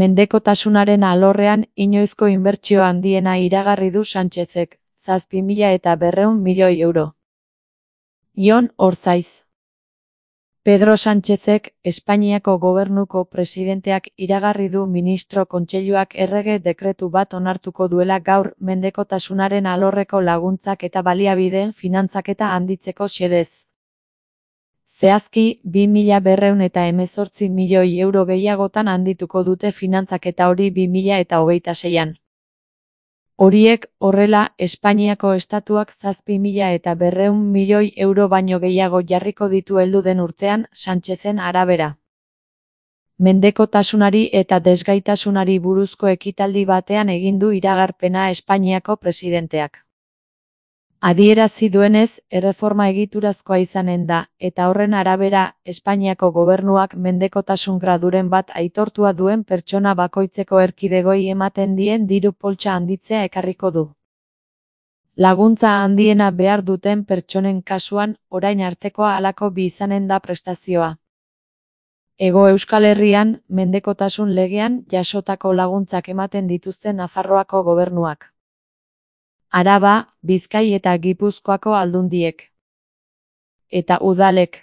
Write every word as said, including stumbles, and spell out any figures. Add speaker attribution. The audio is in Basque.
Speaker 1: Mendekotasunaren alorrean inoizko inbertsio handiena iragarri du Sánchezek, zazpi mila eta berrehun milioi euro. Jon Orzaiz. Pedro Sánchezek, Espainiako gobernuko presidenteak iragarri du ministro kontseiluak errege dekretu bat onartuko duela gaur mendekotasunaren alorreko laguntzak eta baliabideen finantzaketa handitzeko xedez. Zehazki, bi mila berrehun eta hemezortzi milioi euro gehiagotan handituko dute finantzaketa hori bi mila eta hogeita seian. Horiek, horrela, Espainiako estatuak zazpi mila eta berrehun milioi euro baino gehiago jarriko ditu heldu den urtean, Sánchezen arabera. Mendekotasunari eta desgaitasunari buruzko ekitaldi batean egin du iragarpena Espainiako presidenteak. Adierazi duenez, erreforma egiturazkoa izanen da, eta horren arabera, Espainiako gobernuak mendekotasun graduren bat aitortua duen pertsona bakoitzeko erkidegoi ematen dien diru poltsa handitzea ekarriko du. Laguntza handiena behar duten pertsonen kasuan, orain artekoa halako bi izanen da prestazioa. Hego Euskal Herrian, mendekotasun legean jasotako laguntzak ematen dituzten Nafarroako gobernuak. Araba, Bizkai eta Gipuzkoako aldundiek. Eta udalek.